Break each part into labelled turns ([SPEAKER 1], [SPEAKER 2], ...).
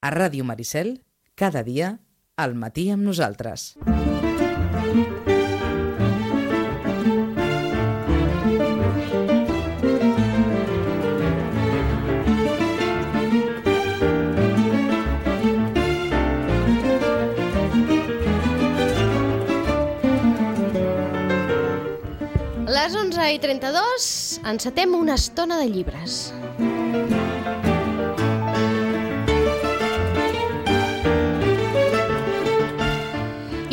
[SPEAKER 1] A Ràdio Maricel, cada dia, al matí amb nosaltres.
[SPEAKER 2] A les 11:32 encetem una estona de llibres.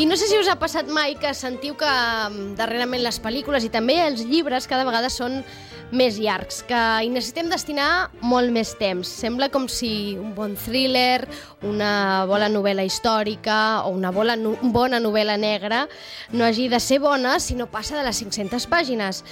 [SPEAKER 2] I no sé si us ha passat mai que sentiu que darrerament les pel·lícules i també els llibres cada vegada són més llargs, que hi necessitem destinar molt més temps. Sembla com si un bon thriller, una bona novel·la històrica o una bona novel·la negra no hagi de ser bona si no passa de les 500 pàgines.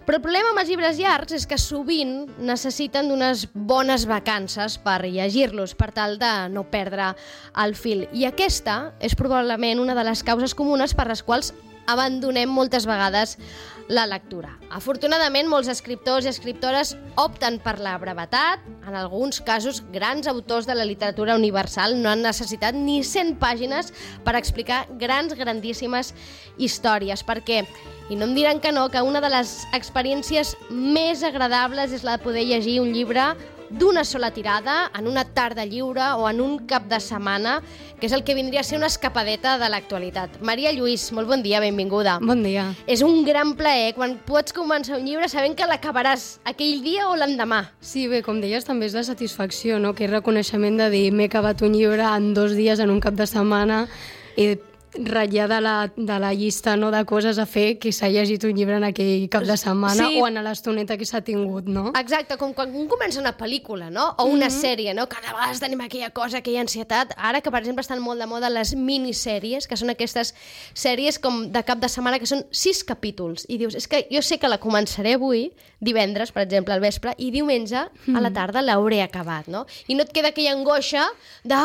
[SPEAKER 2] Però el problema amb els llibres llargs és que sovint necessiten d'unes bones vacances per llegir-los, per tal de no perdre el fil. I aquesta és probablement una de les causes comunes per les quals abandonem moltes vegades la lectura. Afortunadament, molts escriptors i escriptores opten per la brevetat. En alguns casos, grans autors de la literatura universal no han necessitat ni 100 pàgines per explicar grandíssimes històries, perquè, i no em diran que no, que una de les experiències més agradables és la de poder llegir un llibre d'una sola tirada, en una tarda lliure o en un cap de setmana, que és el que vindria a ser una escapadeta de l'actualitat. Maria Lluís, molt bon dia, benvinguda.
[SPEAKER 3] Bon dia.
[SPEAKER 2] És un gran plaer quan pots començar un llibre sabent que l'acabaràs aquell dia o l'endemà.
[SPEAKER 3] Sí, bé, com deies, també és la satisfacció, no? Que és reconeixement de dir m'he acabat un llibre en 2 dies, en un cap de setmana, i ratllar de la llista, no, de coses a fer que s'ha llegit un llibre en aquell cap de setmana, sí, o en l'estoneta que s'ha tingut, no?
[SPEAKER 2] Exacte, com quan un comença una pel·lícula, no? O una sèrie, no? Cada vegada tenim aquella cosa, aquella ansietat. Ara que, per exemple, estan molt de moda les minissèries, que són aquestes sèries com de cap de setmana, que són 6 capítols. I dius, és que jo sé que la començaré avui, divendres, per exemple, al vespre, i diumenge a la tarda l'hauré acabat, no? I no et queda aquella angoixa de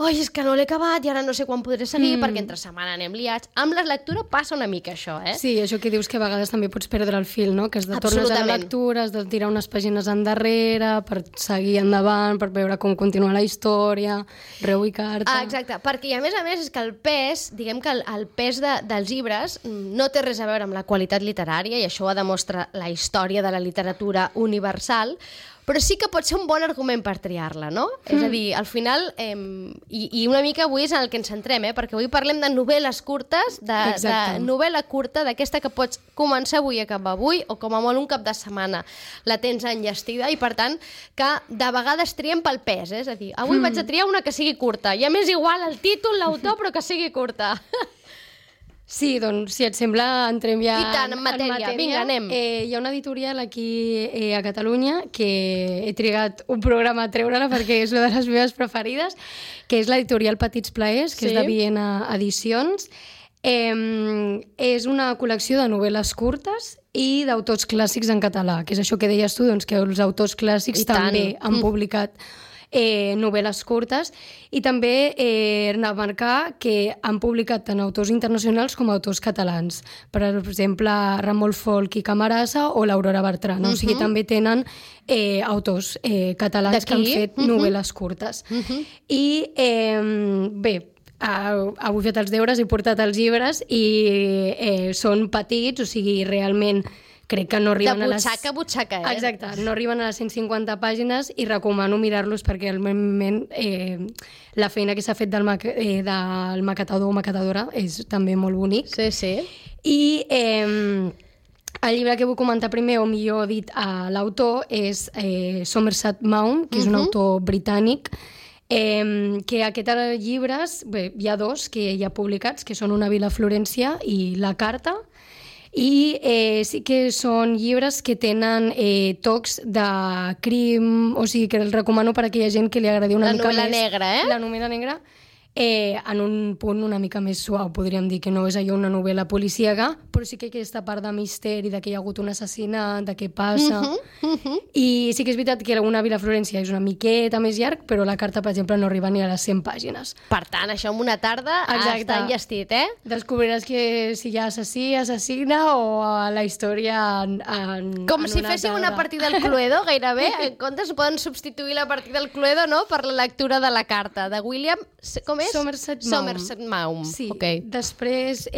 [SPEAKER 2] oi, és que no l'he acabat i ara no sé quan podré seguir perquè entre setmana anem liats. Amb la lectura passa una mica això, eh?
[SPEAKER 3] Sí, això que dius que a vegades també pots perdre el fil, no? Que has de tornar a la lectura, has de tirar unes pàgines endarrere per seguir endavant, per veure com continua la història, reubicar-te...
[SPEAKER 2] Exacte, perquè a més és que el pes, diguem que el pes dels llibres no té res a veure amb la qualitat literària, i això ho demostra la història de la literatura universal, però sí que pot ser un bon argument per triar-la, no? És a dir, al final, i una mica avui és en el que ens centrem, perquè avui parlem de novel·les curtes, de novel·la curta, d'aquesta que pots començar avui i acabar avui, o com a molt un cap de setmana la tens enllestida, i per tant, que de vegades triem pel pes, és a dir, avui vaig a triar una que sigui curta, ja m'és igual el títol, l'autor, però que sigui curta.
[SPEAKER 3] Sí, doncs, si et sembla, entrem ja
[SPEAKER 2] i tant, en matèria. Vinga, anem.
[SPEAKER 3] Hi ha una editorial aquí a Catalunya que he trigat un programa a treure-la perquè és una de les meves preferides, que és l'editorial Petits Plaers, que és de Viena Edicions. És una col·lecció de novel·les curtes i d'autors clàssics en català, que és això que deies tu, doncs, que els autors clàssics també han publicat novel·les curtes, i també remarcar que han publicat tant autors internacionals com autors catalans. Per exemple, Ramon Folch i Camarasa o l'Aurora Bertran. O sigui, també tenen autors catalans que han fet novel·les curtes. I bé, avui he fet els deures, he portat els llibres i són petits, o sigui, realment crec que no arriben
[SPEAKER 2] a butxaca,
[SPEAKER 3] Exacte, no arriben a les 150 pàgines i recomano mirar-los perquè realment la feina que s'ha fet del maquetador o maquetadora és també molt bonic.
[SPEAKER 2] Sí, sí.
[SPEAKER 3] I el llibre que vull comentar primer, o millor dit, l'autor és Somerset Maugham, que és un autor britànic, que aquests llibres, bé, hi ha 2 que hi ha publicats, que són Una vila a Florència i La carta, i sí que són llibres que tenen tocs de crim, o sigui que els recomano per a aquella gent que li agradi una mica més.
[SPEAKER 2] La novel·la negra,
[SPEAKER 3] La novel·la negra. en un punt una mica més suau, podríem dir, que no és allò una novel·la policíaca, però sí que aquesta part de misteri, de que hi ha hagut un assassinat, de què passa... I sí que és veritat que una Vila Florència és una miqueta més llarg, però la carta, per exemple, no arriba ni a les 100 pàgines.
[SPEAKER 2] Per tant, això en una tarda està enllestit, eh?
[SPEAKER 3] Descobriràs que si hi ha assassí, assassina, o la història
[SPEAKER 2] com si féssiu una partida al Cluedo, gairebé. En comptes poden substituir la partida al Cluedo, no?, per la lectura de la carta de William... Com és?
[SPEAKER 3] Somerset Maugham.
[SPEAKER 2] Somerset Maugham.
[SPEAKER 3] Sí.
[SPEAKER 2] Okay.
[SPEAKER 3] Després,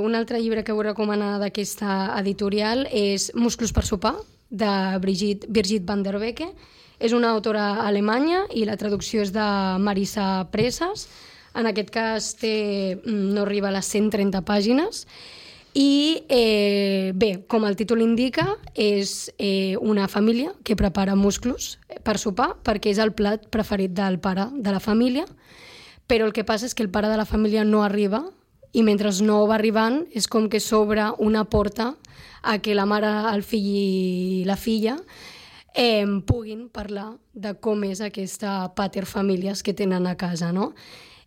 [SPEAKER 3] un altre llibre que vull recomanar d'aquesta editorial és Musclos per sopar, de Birgit van der Becke. És una autora alemanya i la traducció és de Marisa Presas. En aquest cas no arriba a les 130 pàgines. I bé, com el títol indica, és una família que prepara musclos per sopar perquè és el plat preferit del pare de la família, però el que passa és que el pare de la família no arriba i mentre no va arribant és com que s'obre una porta a que la mare, el fill i la filla puguin parlar de com és aquesta paterfamílies que tenen a casa, no?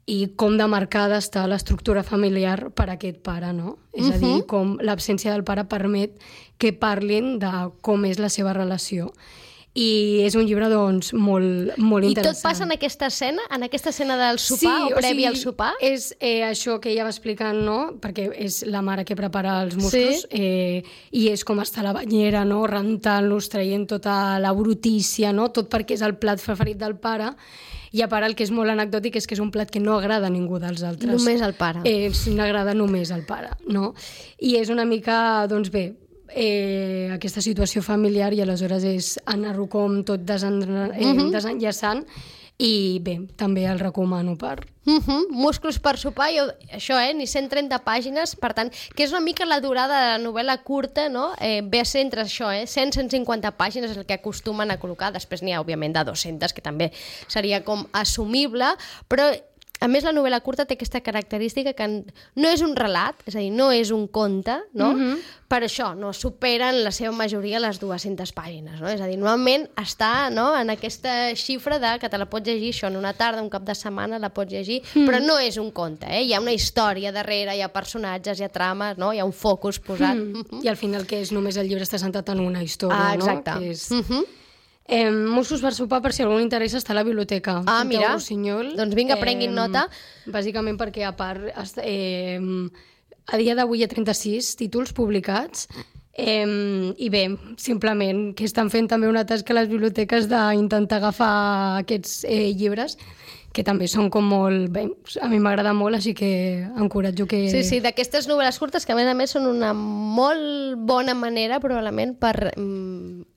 [SPEAKER 3] I com de marcada està l'estructura familiar per a aquest pare, no? És a dir, com l'absència del pare permet que parlin de com és la seva relació. I és un llibre, doncs, molt interessant.
[SPEAKER 2] I tot passa en aquesta escena del sopar, o previ al sopar?
[SPEAKER 3] És això que ella va explicant, no?, perquè és la mare que prepara els musclos, i és com està a la banyera, no?, rentant-los, traient tota la brutícia, no?, tot perquè és el plat preferit del pare. I a part el que és molt anecdòtic és que és un plat que no agrada a ningú dels altres.
[SPEAKER 2] Només al pare.
[SPEAKER 3] N'agrada només al pare, no? I és una mica, doncs bé, aquesta situació familiar i aleshores és anar-ho com tot desenllaçant i bé, també el recomano per...
[SPEAKER 2] Musclos per sopar, això, ni 130 pàgines, per tant, que és una mica la durada de la novel·la curta, no? Ve a ser entre això, 100-150 pàgines és el que acostumen a col·locar, després n'hi ha, òbviament, de 200, que també seria com assumible, però a més, la novel·la curta té aquesta característica que no és un relat, és a dir, no és un conte, no? Per això no superen la seva majoria les 200 pàgines, no? És a dir, normalment està, no?, en aquesta xifra de que te la pots llegir això en una tarda, un cap de setmana la pots llegir, però no és un conte, hi ha una història darrere, hi ha personatges, hi ha trames, no?, hi ha un focus posat.
[SPEAKER 3] I al final que és només el llibre està centrat en una història,
[SPEAKER 2] exacte.
[SPEAKER 3] No? Que és... Musclos per sopar, per si algú interessa, està a la biblioteca.
[SPEAKER 2] Mira,
[SPEAKER 3] Rossinyol.
[SPEAKER 2] Doncs vinga, prenguin nota.
[SPEAKER 3] Bàsicament perquè, a part, a dia d'avui hi ha 36 títols publicats i bé, simplement que estan fent també una tasca a les biblioteques d'intentar agafar aquests llibres que també són com molt... Bé, a mi m'agrada molt, així que encoratjo que...
[SPEAKER 2] Sí, d'aquestes novel·les curtes que a més són una molt bona manera probablement per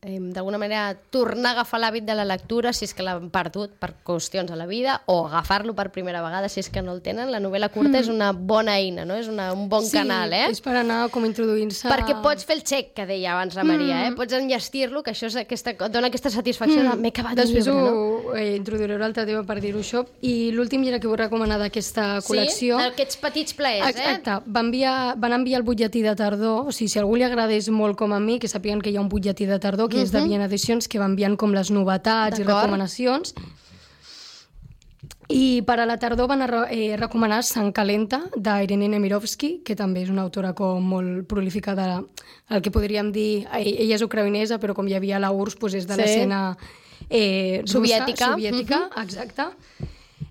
[SPEAKER 2] d'alguna manera tornar a agafar l'hàbit de la lectura si és que l'han perdut per qüestions a la vida o agafar-lo per primera vegada si és que no el tenen. La novel·la curta és una bona eina, no? És un bon canal,
[SPEAKER 3] és per anar com introduint-se...
[SPEAKER 2] Perquè pots fer el check, que deia abans la Maria, pots enllestir-lo, que això és dona aquesta satisfacció de m'he acabat un llibre, no?
[SPEAKER 3] Després ho introduiré un altre tema per dir-ho això. I l'últim llibre que vull recomanar d'aquesta col·lecció...
[SPEAKER 2] Sí, aquests petits plaers,
[SPEAKER 3] Exacte. Van enviar el butlletí de tardor, o sigui, si a algú li agradés molt com a mi, que sàpiguen que hi ha un butlletí de tardor, que és de Viena Edicions, que va enviant com les novetats i recomanacions. I per a la tardor van recomanar Sant Calenta, d'Irene Nemirovsky, que també és una autora com molt prolífica el que podríem dir... Ella és ucraïnesa, però com hi havia la URSS, doncs és de l'escena...
[SPEAKER 2] soviètica,
[SPEAKER 3] exacte.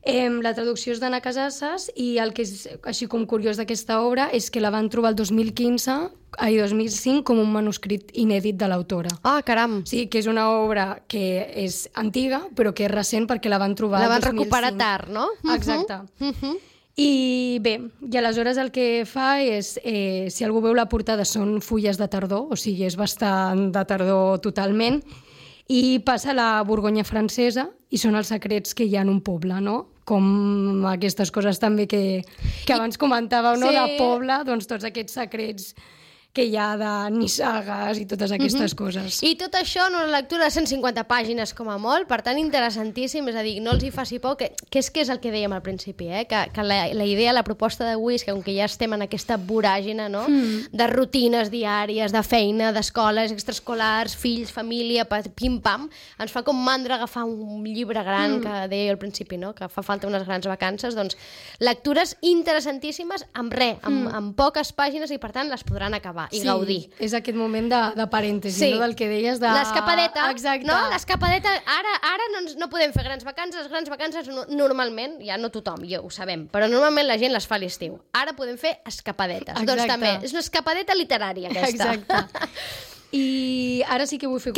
[SPEAKER 3] La traducció és d'Anna Casasses i el que és així com curiós d'aquesta obra és que la van trobar el 2005 com un manuscrit inèdit de l'autora.
[SPEAKER 2] Ah, caram!
[SPEAKER 3] Sí, que és una obra que és antiga, però que és recent perquè la van trobar el 2005. La van
[SPEAKER 2] recuperar tard, no?
[SPEAKER 3] Exacte. I bé, i aleshores el que fa és, si algú veu la portada, són fulles de tardor, o sigui, és bastant de tardor totalment, i passa a la Borgonya francesa i són els secrets que hi ha en un poble, no? Com aquestes coses també que abans comentàveu, no? De poble, doncs tots aquests secrets que hi ha de nissagues i totes aquestes coses.
[SPEAKER 2] I tot això en una lectura de 150 pàgines com a molt, per tant interessantíssim, és a dir, no els hi faci por, que és el que dèiem al principi, que la idea, la proposta d'avui és que com que ja estem en aquesta voràgina, no? De rutines diàries, de feina, d'escoles extraescolars, fills, família, pim-pam, ens fa com mandra agafar un llibre gran, que deia al principi, no? Que fa falta unes grans vacances, doncs lectures interessantíssimes amb amb poques pàgines i per tant les podran acabar i gaudir.
[SPEAKER 3] És aquest moment de parèntesi, no? Del que deies de...
[SPEAKER 2] L'escapadeta,
[SPEAKER 3] exacte.
[SPEAKER 2] No? L'escapadeta, ara no podem fer grans vacances, les grans vacances normalment, ja no tothom, ja ho sabem, però normalment la gent les fa a l'estiu. Ara podem fer escapadetes.
[SPEAKER 3] Exacte.
[SPEAKER 2] Doncs també, és una escapadeta literària aquesta.
[SPEAKER 3] Exacte. I ara sí que vull fer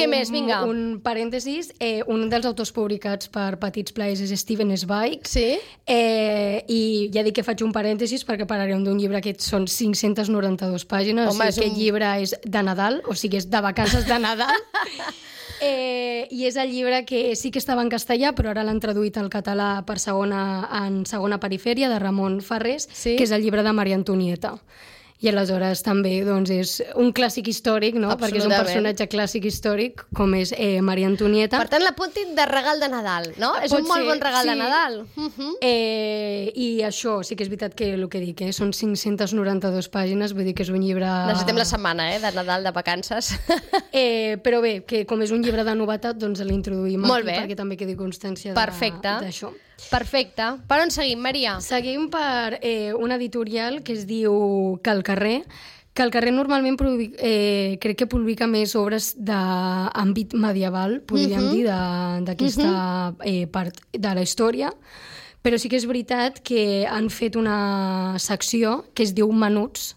[SPEAKER 3] un parèntesis. Un dels autors publicats per Petits Plaers és Steven Zweig.
[SPEAKER 2] Sí?
[SPEAKER 3] I ja dic que faig un parèntesis perquè parlarem d'un llibre que són 592 pàgines. Home, o sigui, aquest llibre és de Nadal, o sigui, és de vacances de Nadal. I és el llibre que sí que estava en castellà, però ara l'han traduït al català en segona perifèria, de Ramon Ferrés, que és el llibre de Maria Antonieta. I aleshores també doncs, és un clàssic històric, no? Perquè és un personatge clàssic històric, com és Maria Antonieta.
[SPEAKER 2] Per tant, l'apuntin de regal de Nadal, no? És un molt bon regal de Nadal.
[SPEAKER 3] I això, sí que és veritat que el que dic, són 592 pàgines, vull dir que és un llibre...
[SPEAKER 2] Necessitem la setmana, de Nadal, de vacances.
[SPEAKER 3] Però bé, que com és un llibre de novetat, doncs l'introduïm aquí perquè també quedi constància d'això.
[SPEAKER 2] Perfecte. Per on seguim, Maria?
[SPEAKER 3] Seguim per una editorial que es diu Cal Carrer. Cal Carrer normalment crec que publica més obres d'àmbit medieval, podríem dir, d'aquesta part de la història, però sí que és veritat que han fet una secció que es diu Menuts.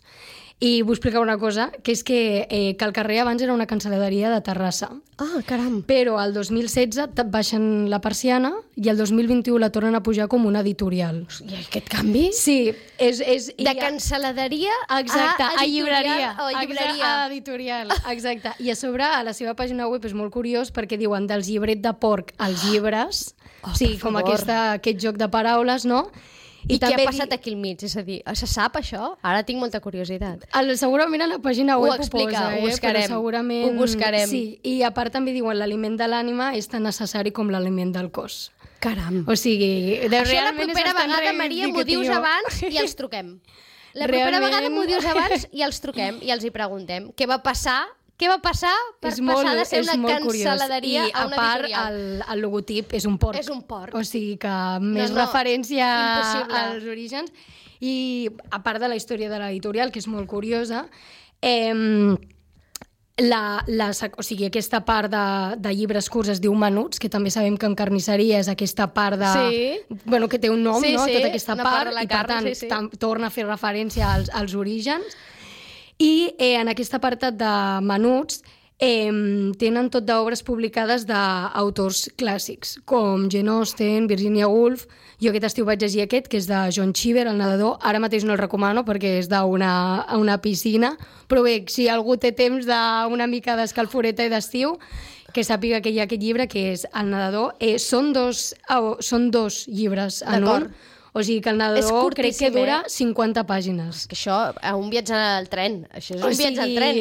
[SPEAKER 3] I vull explicar una cosa, que és que Cal Carrer abans era una cancel·laderia de Terrassa.
[SPEAKER 2] Ah, caram!
[SPEAKER 3] Però el 2016 baixen la persiana i el 2021 la tornen a pujar com una editorial.
[SPEAKER 2] I aquest canvi?
[SPEAKER 3] Sí.
[SPEAKER 2] De cancel·laderia a
[SPEAKER 3] llibreria.
[SPEAKER 2] A
[SPEAKER 3] editorial. Exacte. I a sobre, a la seva pàgina web és molt curiós perquè diuen dels llibret de porc als llibres, o sigui, com aquest joc de paraules, no?
[SPEAKER 2] I què ha passat aquí al mig? És a dir, se sap això? Ara tinc molta curiositat.
[SPEAKER 3] Segurament a la pàgina web ho
[SPEAKER 2] posa, ho buscarem.
[SPEAKER 3] Ho buscarem. Sí, i a part també diuen l'aliment de l'ànima és tan necessari com l'aliment del cos.
[SPEAKER 2] Caram.
[SPEAKER 3] O sigui,
[SPEAKER 2] això la propera vegada, Maria, m'ho dius abans i els truquem. La propera vegada m'ho dius abans i els truquem i els hi preguntem què va passar per passar de ser una cancel·laderia a una editorial. I a
[SPEAKER 3] part, el logotip és un porc.
[SPEAKER 2] És un porc.
[SPEAKER 3] O sigui que més referència als orígens. I a part de la història de l'editorial, que és molt curiosa, o sigui, aquesta part de llibres curts es diu Menuts, que també sabem que en carnisseria és aquesta part bueno, que té un nom, no? Tota aquesta part, i per tant torna a fer referència als orígens. I en aquest apartat de Menuts tenen tot d'obres publicades d'autors clàssics, com Jane Austen, Virginia Woolf. Jo aquest estiu vaig llegir aquest, que és de John Cheever, el nedador. Ara mateix no el recomano perquè és d'una piscina, però bé, si algú té temps d'una mica d'escalforeta i d'estiu, que sàpiga que hi ha aquest llibre, que és El nedador. Són dos llibres en un. O sigui que el nedador crec que dura 50 pàgines.
[SPEAKER 2] Que això, un viatge al tren. Això és un viatge al tren.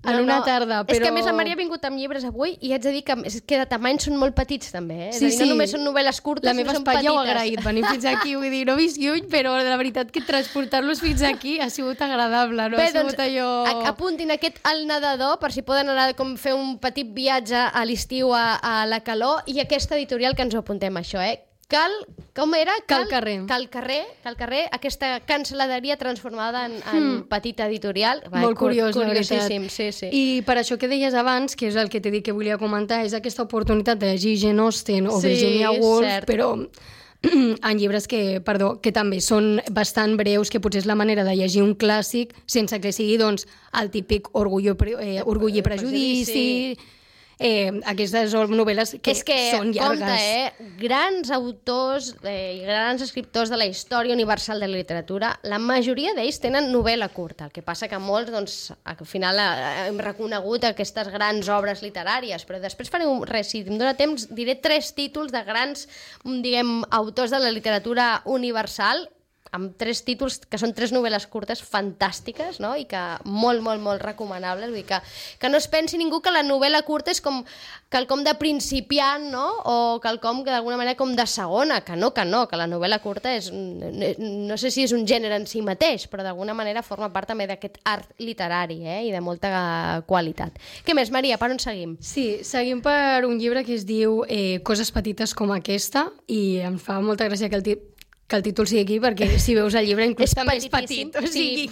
[SPEAKER 3] En una tarda, però...
[SPEAKER 2] És que a més la Maria ha vingut amb llibres avui i haig de dir que de tamany són molt petits també. És a dir, no només són novel·les curtes,
[SPEAKER 3] la meva espatlla ho ha agraït, venir fins aquí, vull dir, no visc lluny, però la veritat que transportar-los fins aquí ha sigut agradable, no?
[SPEAKER 2] Bé, doncs, apuntin aquest El nedador per si poden anar com fer un petit viatge a l'estiu a la calor i aquesta editorial que ens ho apuntem, això, com era?
[SPEAKER 3] Cal Carrer.
[SPEAKER 2] Cal Carrer, aquesta cancel·laderia transformada en petita editorial.
[SPEAKER 3] Molt curiós, la veritat.
[SPEAKER 2] Sí.
[SPEAKER 3] I per això que deies abans, que és el que t'he dit que volia comentar, és aquesta oportunitat de llegir Jane Austen o Virginia Woolf, però en llibres que també són bastant breus, que potser és la manera de llegir un clàssic sense que sigui doncs, el típic Orgull i Prejudici... aquestes novel·les que són llargues.
[SPEAKER 2] Compte, grans autors i grans escriptors de la història universal de la literatura, la majoria d'ells tenen novel·la curta, el que passa que molts, doncs, al final hem reconegut aquestes grans obres literàries, però després farem si em dóna temps, diré 3 títols de grans, diguem, autors de la literatura universal amb 3 títols, que són 3 novel·les curtes fantàstiques, no? I que molt, molt, molt recomanables. Vull dir que no es pensi ningú que la novel·la curta és com quelcom de principiant, no? O quelcom que d'alguna manera com de segona, que no, que la novel·la curta és, no sé si és un gènere en si mateix, però d'alguna manera forma part també d'aquest art literari, i de molta qualitat. Què més, Maria, per on seguim?
[SPEAKER 3] Sí, seguim per un llibre que es diu Coses petites com aquesta, i em fa molta gràcia que el títol sigui aquí, perquè si veus el llibre inclús també és petit. O sigui...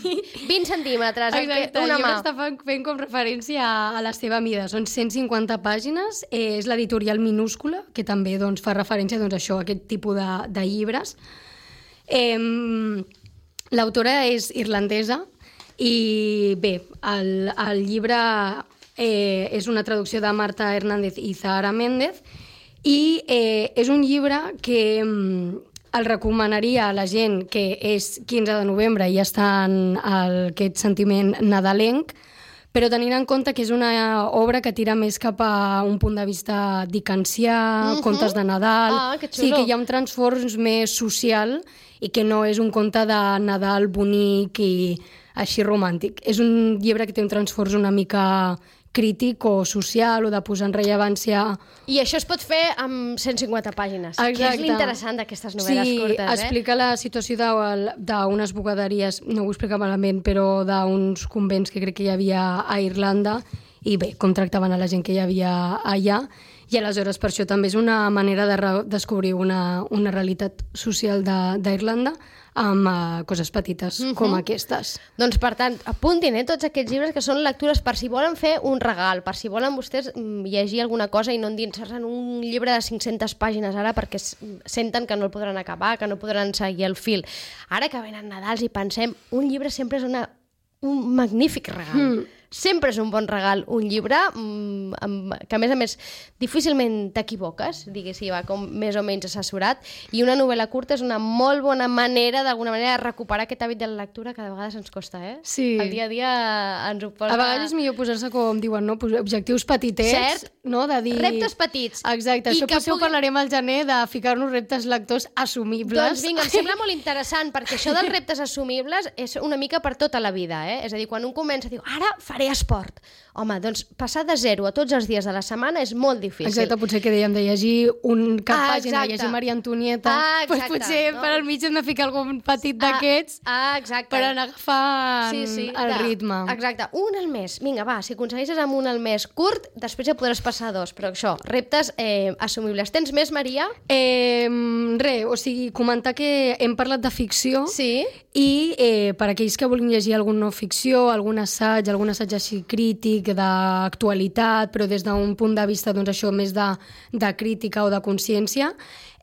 [SPEAKER 2] 20 centímetres,
[SPEAKER 3] exacte,
[SPEAKER 2] una mà.
[SPEAKER 3] El llibre està fent com referència a la seva mida. Són 150 pàgines, és l'editorial Minúscula, que també doncs, fa referència doncs, a això, a aquest tipus de llibres. L'autora és irlandesa i bé, el llibre és una traducció de Marta Hernández i Zahara Méndez i és un llibre que el recomanaria a la gent que és 15 de novembre i ja està en aquest sentiment nadalenc, però tenint en compte que és una obra que tira més cap a un punt de vista dickensià, contes de Nadal...
[SPEAKER 2] que xulo.
[SPEAKER 3] Sí, que hi ha un transfons més social i que no és un conte de Nadal bonic i així romàntic. És un llibre que té un transfons una mica crític o social o de posar en rellevància...
[SPEAKER 2] I això es pot fer amb 150 pàgines,
[SPEAKER 3] exacte.
[SPEAKER 2] Que és l'interessant d'aquestes novel·les curtes.
[SPEAKER 3] Sí, explica la situació d'unes bugaderies, no ho explica malament, però d'uns convents que crec que hi havia a Irlanda, i bé, com tractaven a la gent que hi havia allà, i aleshores per això també és una manera de descobrir una realitat social d'Irlanda amb coses petites com aquestes.
[SPEAKER 2] Doncs, per tant, apuntin tots aquests llibres que són lectures per si volen fer un regal, per si volen vostès llegir alguna cosa i no endinsar-se en un llibre de 500 pàgines ara perquè senten que no el podran acabar, que no podran seguir el fil. Ara que venen Nadals i pensem, un llibre sempre és un magnífic regal. Sempre és un bon regal, un llibre que, a més, difícilment t'equivoques, diguéssim, va com més o menys assessorat, i una novel·la curta és una molt bona manera, d'alguna manera, de recuperar aquest hàbit de la lectura que de vegades ens costa,
[SPEAKER 3] Sí.
[SPEAKER 2] El dia a dia ens ho posa...
[SPEAKER 3] A vegades és millor posar-se, com diuen, no? Objectius petitets,
[SPEAKER 2] cert?
[SPEAKER 3] No? De dir...
[SPEAKER 2] Reptes petits.
[SPEAKER 3] Exacte, això potser ho parlarem al gener, de ficar-nos reptes lectors assumibles.
[SPEAKER 2] Doncs vinga, em sembla molt interessant, perquè això dels reptes assumibles és una mica per tota la vida, És a dir, quan un comença a dir, ara faré esport. Home, doncs passar de 0 a tots els dies de la setmana és molt difícil.
[SPEAKER 3] Exacte, potser que dèiem de llegir cap pàgina, llegir Maria Antonieta, doncs potser per al mig hem de ficar algun petit d'aquests per anar agafant el ritme.
[SPEAKER 2] Exacte, un al mes. Vinga, va, si aconsegueixes amb un al mes curt, després ja podràs passar 2, però això, reptes assumibles. Tens més, Maria?
[SPEAKER 3] O sigui, comentar que hem parlat de ficció i per aquells que vulguin llegir alguna no ficció, algun assaig així crític, d'actualitat, però des d'un punt de vista, doncs això, més de crítica o de consciència,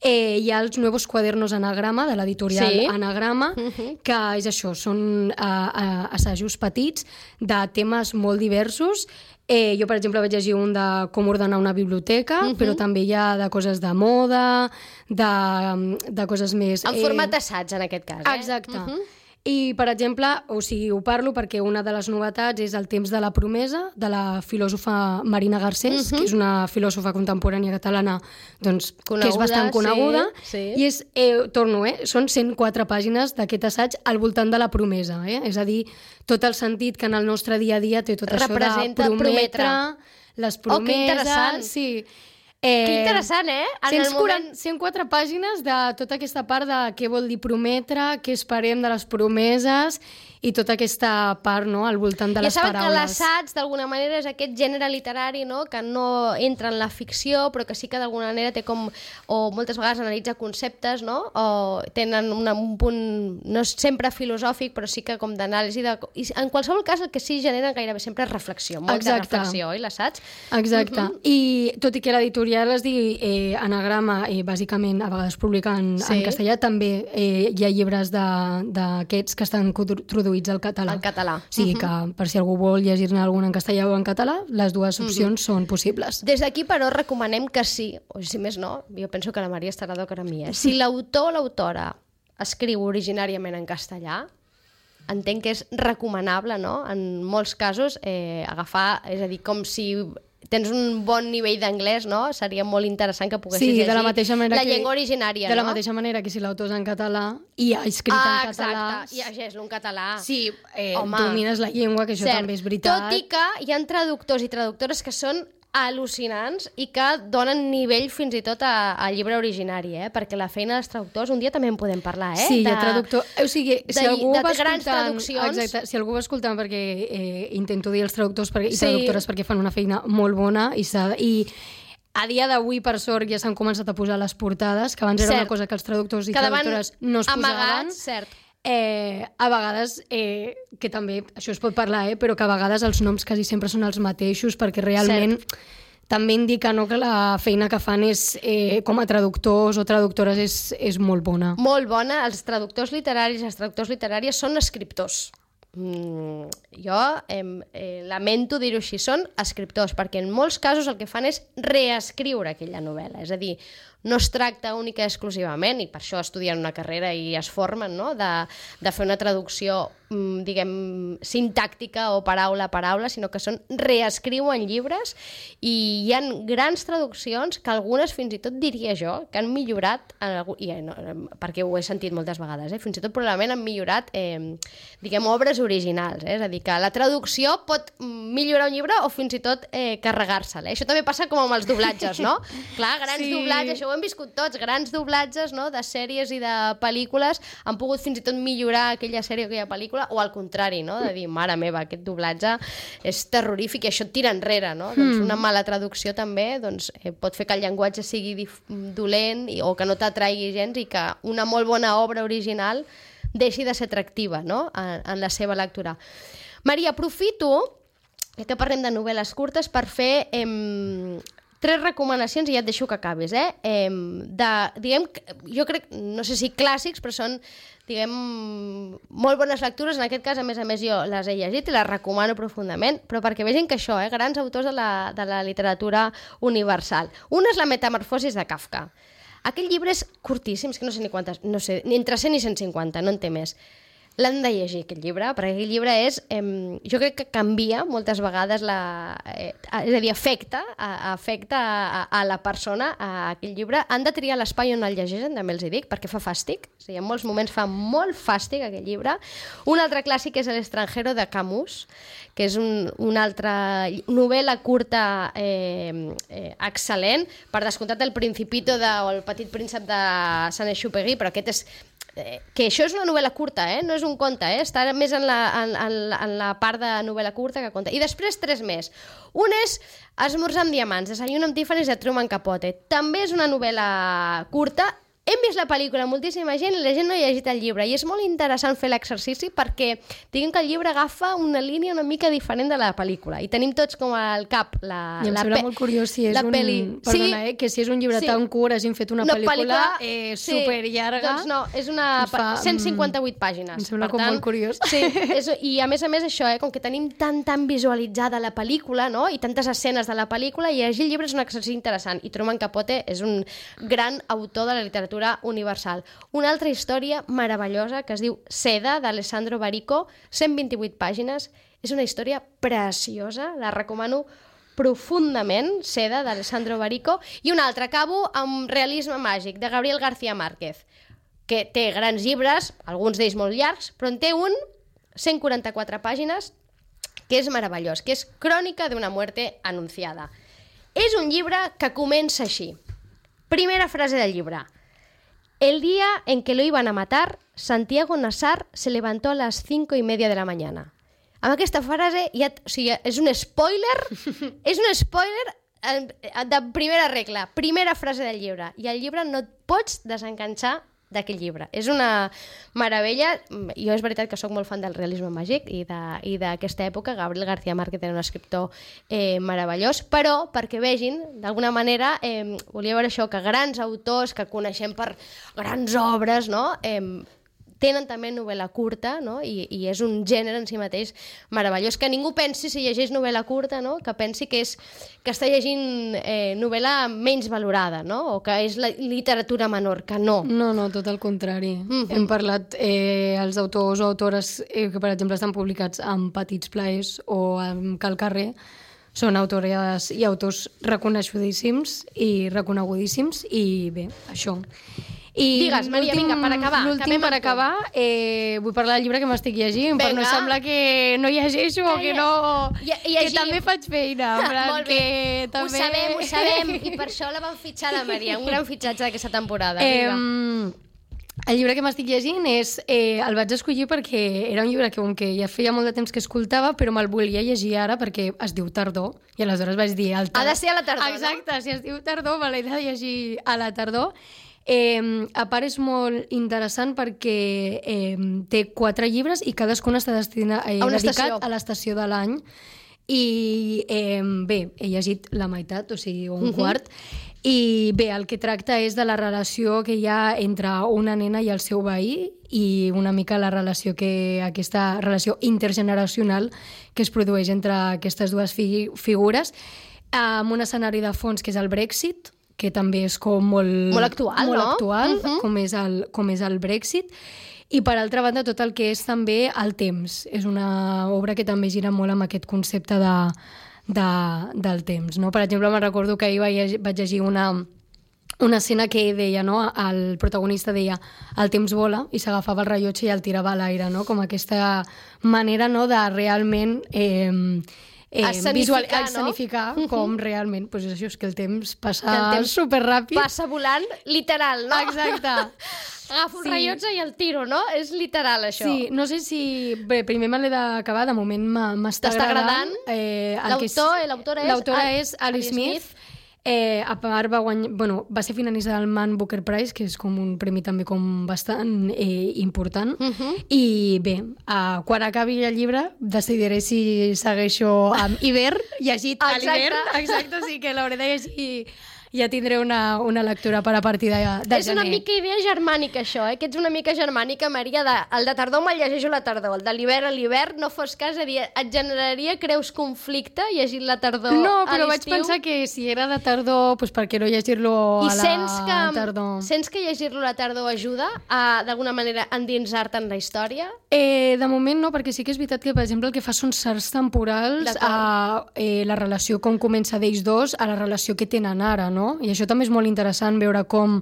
[SPEAKER 3] hi ha els Nuevos Cuadernos Anagrama, de l'editorial Anagrama, que és això, són assajos petits de temes molt diversos. Jo, per exemple, vaig llegir un de com ordenar una biblioteca, però també hi ha de coses de moda, de coses més...
[SPEAKER 2] En format assaig, en aquest cas,
[SPEAKER 3] Exacte. I, per exemple, o sigui, ho parlo perquè una de les novetats és El temps de la promesa, de la filòsofa Marina Garcés, que és una filòsofa contemporània catalana doncs, que és bastant coneguda. I és, són 104 pàgines d'aquest assaig al voltant de la promesa. És a dir, tot el sentit que en el nostre dia a dia té tot això de prometre, les promeses...
[SPEAKER 2] que interessant!
[SPEAKER 3] Sí.
[SPEAKER 2] Que interessant,
[SPEAKER 3] 104 pàgines de tota aquesta part de què vol dir prometre, què esperem de les promeses i tota aquesta part, no?, al voltant de les paraules.
[SPEAKER 2] Ja saben que l'assaig, d'alguna manera, és aquest gènere literari, no?, que no entra en la ficció, però que sí que d'alguna manera té com... o moltes vegades analitza conceptes, no?, o tenen un punt no sempre filosòfic, però sí que com d'anàlisi de... I en qualsevol cas el que sí genera gairebé sempre és reflexió, molta reflexió, oi, l'assaig?
[SPEAKER 3] Exacte. I tot i que l'editorial es digui Anagrama, bàsicament a vegades publica en castellà, també hi ha llibres d'aquests que estan traduïts al català.
[SPEAKER 2] En català.
[SPEAKER 3] O sigui que, per si algú vol llegir-ne algun en castellà o en català, les dues opcions són possibles.
[SPEAKER 2] Des d'aquí, però, recomanem que sí, o si més no, jo penso que la Maria estarà d'acord amb mi, si l'autor o l'autora escriu originàriament en castellà, entenc que és recomanable, no?, en molts casos, agafar, és a dir, com si tens un bon nivell d'anglès, no? Seria molt interessant que poguessis llegir la llengua originària,
[SPEAKER 3] de la mateixa manera que si l'autor és en català i ha escrit en català...
[SPEAKER 2] Exacte, llegeix-lo en català.
[SPEAKER 3] Sí, domines la llengua, que això també és veritat.
[SPEAKER 2] Tot i que hi ha traductors i traductores que són al·lucinants i que donen nivell fins i tot al llibre originari, perquè la feina dels traductors, un dia també en podem parlar,
[SPEAKER 3] Sí, hi ha traductor... O sigui, si algú va
[SPEAKER 2] grans traduccions...
[SPEAKER 3] Exacte, si algú va escoltant, perquè intento dir els traductors i traductores perquè fan una feina molt bona i a dia d'avui, per sort, ja s'han començat a posar les portades, que abans era una cosa que els traductors i traductores no es posaven.
[SPEAKER 2] Cert.
[SPEAKER 3] A vegades, que també, això es pot parlar, però que a vegades els noms quasi sempre són els mateixos, perquè realment també indica que la feina que fan com a traductors o traductores és molt bona.
[SPEAKER 2] Molt bona. Els traductors literaris i les traductores literàries són escriptors. Jo lamento dir-ho així, són escriptors, perquè en molts casos el que fan és reescriure aquella novel·la, és a dir, no es tracta única i exclusivament, i per això estudien una carrera i es formen, no?, de fer una traducció, diguem, sintàctica o paraula a paraula, sinó que reescriuen llibres, i hi ha grans traduccions que algunes, fins i tot diria jo, que han millorat, perquè ho he sentit moltes vegades, fins i tot probablement han millorat, diguem, obres originals, és a dir, que la traducció pot millorar un llibre o fins i tot carregar-se'l. Això també passa com amb els doblatges, no? Clar, grans doblatges, això ho hem viscut tots, grans doblatges, no?, de sèries i de pel·lícules han pogut fins i tot millorar aquella sèrie o aquella pel·lícula, o al contrari, no?, de dir, mare meva, aquest doblatge és terrorífic i això et tira enrere, no? Doncs una mala traducció també pot fer que el llenguatge sigui dolent o que no t'atraigui gens i que una molt bona obra original deixi de ser atractiva, no?, en la seva lectura. Maria, aprofito que parlem de novel·les curtes per fer 3 recomanacions i ja et deixo que acabis, diguem, jo crec, no sé si clàssics, però són, diguem, molt bones lectures. En aquest cas, a més jo les he llegit i les recomano profundament, però perquè vegin que això, grans autors de la literatura universal. Un és La metamorfosis de Kafka. Aquell llibre és curtíssim, és que no sé ni quantes, no sé, ni entre 100 i 150, no en té més. L'han de llegir, aquest llibre, perquè aquest llibre és... jo crec que canvia moltes vegades és a dir, afecta a la persona, a aquest llibre. Han de triar l'espai on el llegeixen, també els hi dic, perquè fa fàstic. O sigui, en molts moments fa molt fàstic, aquest llibre. Un altre clàssic és El extranjero, de Camus, que és una altra novel·la curta excel·lent. Per descomptat, El Principito o El petit príncep de Saint-Exupéry, però aquest és... que això és una novel·la curta, no és un conte, està més en la part de novel·la curta que conte. I després 3 més. Un és Esmorzar amb diamants, Desayuno amb Tiffany's, de Truman Capote. També és una novel·la curta. Hem vist la pel·lícula, moltíssima gent, i la gent no ha llegit el llibre, i és molt interessant fer l'exercici perquè diguem que el llibre agafa una línia una mica diferent de la pel·lícula, i tenim tots com al cap
[SPEAKER 3] I em sembla molt curiós si és Perdona, que si és un llibre tan curt hagin fet una pel·lícula superllarga.
[SPEAKER 2] Doncs no, és 158 pàgines.
[SPEAKER 3] Em sembla com molt curiós.
[SPEAKER 2] Sí, i a més això, com que tenim tan visualitzada la pel·lícula, no?, i tantes escenes de la pel·lícula, i llegir el llibre és un exercici interessant, i Truman Capote és un gran autor de la literatura universal. Una altra història meravellosa que es diu Seda, d'Alessandro Barico, 128 pàgines. És una història preciosa, la recomano profundament, Seda, d'Alessandro Barico. I una altra, acabo amb Realisme màgic, de Gabriel García Márquez, que té grans llibres, alguns d'ells molt llargs, però en té un, 144 pàgines, que és meravellós, que és Crònica d'una muerte anunciada. És un llibre que comença així. Primera frase del llibre. El día en que lo iban a matar, Santiago Nassar se levantó a las 5:30 de la mañana. Amb aquesta frase és un spoiler, de primera regla, primera frase del llibre. I el llibre no et pots desenganxar d'aquell llibre. És una meravella. Jo és veritat que sóc molt fan del realisme màgic i d'aquesta època. Gabriel García Márquez era un escriptor meravellós, però perquè vegin, d'alguna manera, volia veure això, que grans autors que coneixem per grans obres, no?, tenen també novel·la curta, no?, i és un gènere en si mateix meravellós. Que ningú pensi, si llegeix novel·la curta, no?, que pensi que està llegint novel·la menys valorada, no?, o que és la literatura menor, que no.
[SPEAKER 3] No, tot al contrari. Hem parlat els autors o autores que, per exemple, estan publicats en Petits Plaers o en Cal Carrer, són autores i autors reconeixudíssims i reconegut i bé, això. I
[SPEAKER 2] digues, Maria, vinga, per acabar.
[SPEAKER 3] L'últim per acabar, vull parlar del llibre que m'estic llegint, però no sembla que no llegeixo o que no... Que també faig feina.
[SPEAKER 2] Molt bé, també... ho sabem, i per això la vam fitxar la Maria, un gran fitxatge d'aquesta temporada.
[SPEAKER 3] El llibre que m'estic llegint el vaig escollir perquè era un llibre que ja feia molt de temps que escoltava, però me'l volia llegir ara perquè es diu Tardor, i aleshores vaig dir...
[SPEAKER 2] Ha de ser a la tardor,
[SPEAKER 3] exacte, si es diu Tardor, me l'he de llegir a la tardor. A part és molt interessant perquè té 4 llibres i cadascun està dedicat a l'estació de l'any i bé, he llegit la meitat, o sigui, un quart, i bé, el que tracta és de la relació que hi ha entre una nena i el seu veí i una mica la relació aquesta relació intergeneracional que es produeix entre aquestes dues figures amb un escenari de fons que és el Brexit, que també és com molt
[SPEAKER 2] actual,
[SPEAKER 3] molt
[SPEAKER 2] no?
[SPEAKER 3] actual, com és el Brexit. I per altra banda, tot el que és també el temps. És una obra que també gira molt amb aquest concepte del temps. No? Per exemple, me'n recordo que ahir vaig llegir una escena que deia, no? El protagonista deia el temps vola i s'agafava el rellotge i el tirava a l'aire, no? Com aquesta manera, no?, de realment... escenificar com realment, doncs això és que el temps passa superràpid.
[SPEAKER 2] Passa volant, literal, no?
[SPEAKER 3] Exacte.
[SPEAKER 2] Agafo un rellotge i el tiro, no? És literal, això.
[SPEAKER 3] Sí, no sé si... Bé, primer me l'he d'acabar, de moment m'està agradant.
[SPEAKER 2] L'autora
[SPEAKER 3] és Alice Smith. A part va ser finalista del Man Booker Prize, que és com un premi també com bastant important. I bé, quan acabi el llibre decidiré si segueixo amb hivern, llegit a l'hivern. Exacte, o sigui que l'hauré de llegir. Ja tindré una lectura per a partir de gener.
[SPEAKER 2] És una mica idea germànica, això, que ets una mica germànica, Maria. El de tardor me'l llegeixo a la tardor, el de l'hivern a l'hivern, no fos cas, és a dir, et generaria, creus, conflicte llegir la tardor a l'estiu?
[SPEAKER 3] No, però vaig pensar que si era de tardor, doncs per què no llegir-lo a la tardor?
[SPEAKER 2] I sents que llegir-lo a la tardor ajuda a, d'alguna manera, endinsar-te en la història?
[SPEAKER 3] De moment no, perquè sí que és veritat que, per exemple, el que fa són salts temporals a la relació com comença d'ells dos a la relació que tenen ara, no? I això també és molt interessant, veure com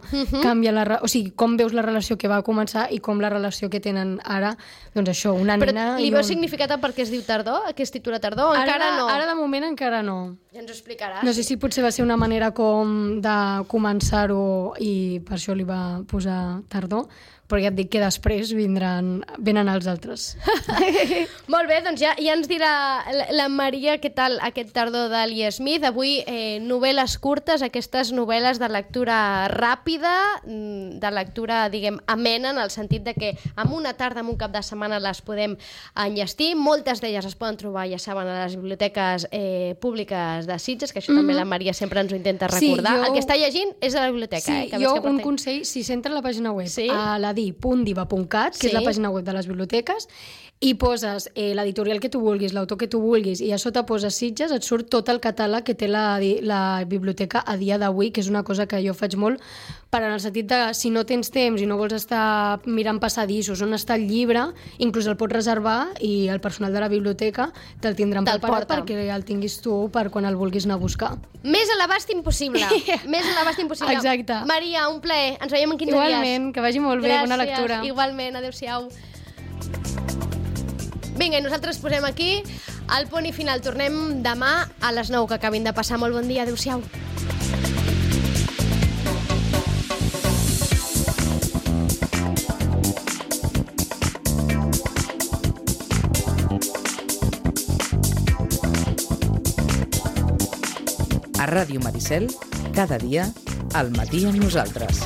[SPEAKER 3] canvia o sigui, com veus la relació que va començar i com la relació que tenen ara, doncs això, una nena...
[SPEAKER 2] Però li veus significat per què es diu tardor? Que es titula tardor? Encara no?
[SPEAKER 3] Ara de moment encara no.
[SPEAKER 2] Ja ens ho explicaràs.
[SPEAKER 3] No sé si potser va ser una manera com de començar-ho i per això li va posar tardor, però ja et dic que després venen els altres.
[SPEAKER 2] Molt bé, doncs ja ens dirà la Maria què tal aquest tardor d'Alice Smith. Avui novel·les curtes, aquestes novel·les de lectura ràpida, de lectura, diguem, amena, en el sentit de que en una tarda, en un cap de setmana les podem enllestir. Moltes d'elles es poden trobar, ja saben, a les biblioteques públiques de Sitges, que això també la Maria sempre ens ho intenta recordar. El que està llegint és a la biblioteca.
[SPEAKER 3] Sí, jo un consell, si s'entra a la pàgina web, a la di.diva.cat, que és la pàgina web de les biblioteques, i poses l'editorial que tu vulguis, l'autor que tu vulguis, i a sota poses Sitges, et surt tot el catàleg que té la biblioteca a dia d'avui, que és una cosa que jo faig molt, per en el sentit de, si no tens temps i no vols estar mirant passadissos on està el llibre, inclús el pots reservar i el personal de la biblioteca te'l tindran preparat perquè el tinguis tu per quan el vulguis anar a buscar.
[SPEAKER 2] Més a l'abast impossible. Més a l'abast impossible.
[SPEAKER 3] Exacte.
[SPEAKER 2] Maria, un plaer. Ens veiem en 15 dies.
[SPEAKER 3] Igualment, que vagi molt bé. Bona lectura.
[SPEAKER 2] Igualment, adéu-siau. Vinga, i nosaltres posem aquí el punt i final. Tornem demà a les 9, que acabin de passar. Molt bon dia, adéu-siau.
[SPEAKER 1] A Ràdio Maricel, cada dia, al matí amb nosaltres.